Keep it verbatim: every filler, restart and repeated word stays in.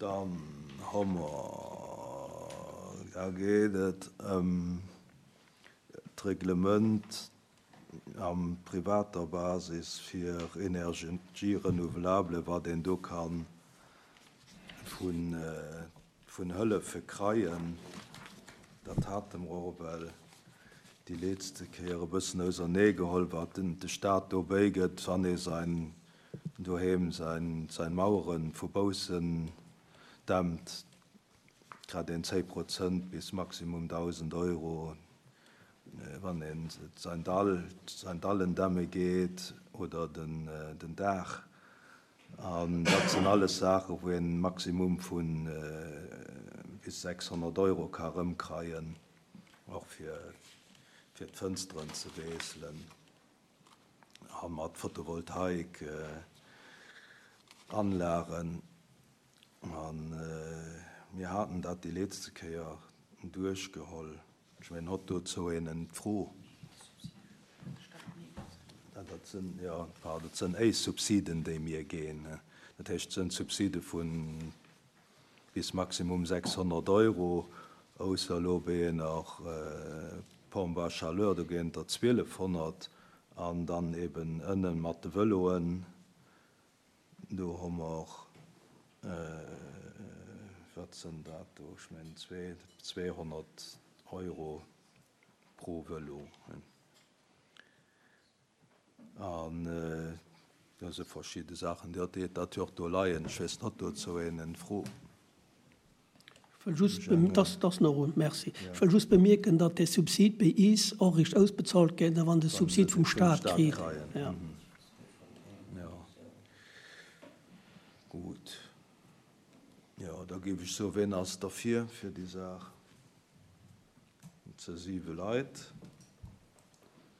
Dann hu mer, da geet et ëm d'Reglement am privater Basis fir Energie renouvelable, wat een do ka vun, vun Hëllefe kreien. Dat hate mer och well déi letzte Kéier e bëssen auserneegeholl, wat den de Staat do bäigëtt, wann ee säin doheem säin, säin Maueren vu baussen dämmt, grad een zéng Prozent bis maximum dausend Euro, wann een säin Dall, säin Dallen dämme geet oder den, den Daach. An dat sinn alles Saachen, wou een Maximum vun bis sechshonnert Euro ka rëmkreien, och fir, fir d'Fënsteren ze wiesselen. A mat Photovoltaik Anlagen. An mir haten dat déi letzte Kéier duerchgeholl. Ech mengen, hott dozou een eng Fro? Ja, dat sinn, ja, dat sinn éis Subsiden, déi mir ginn. Dat heescht, sinn Subside vun bis maximum sechshonnert Euro, ausser lo bei nach äh, Pompe à chaleur, do ginn der zwielefhonnert, an dann eben ënnen mat de Vëloen, do hu mer äh, wat sinn dat do? Ech mengen zwee, zweehonnert Euro pro Vëlo. An äh, dat si verschidde Saachen, déi dat dat jo och do leien. Ech weess net, dozou een Fro. Ech wëll just bem- das, das nach rund, merci. Ech wëll just bemierken, datt de Subsid bei is och richt ausbezahlt gëtt, wann de Subsid vum Staat kritt. Kreien. Ja. Mhm. Ja. Gut. Ja, da géif ech soen, wien ass derfir fir déi Saach? Ze siwe Leit.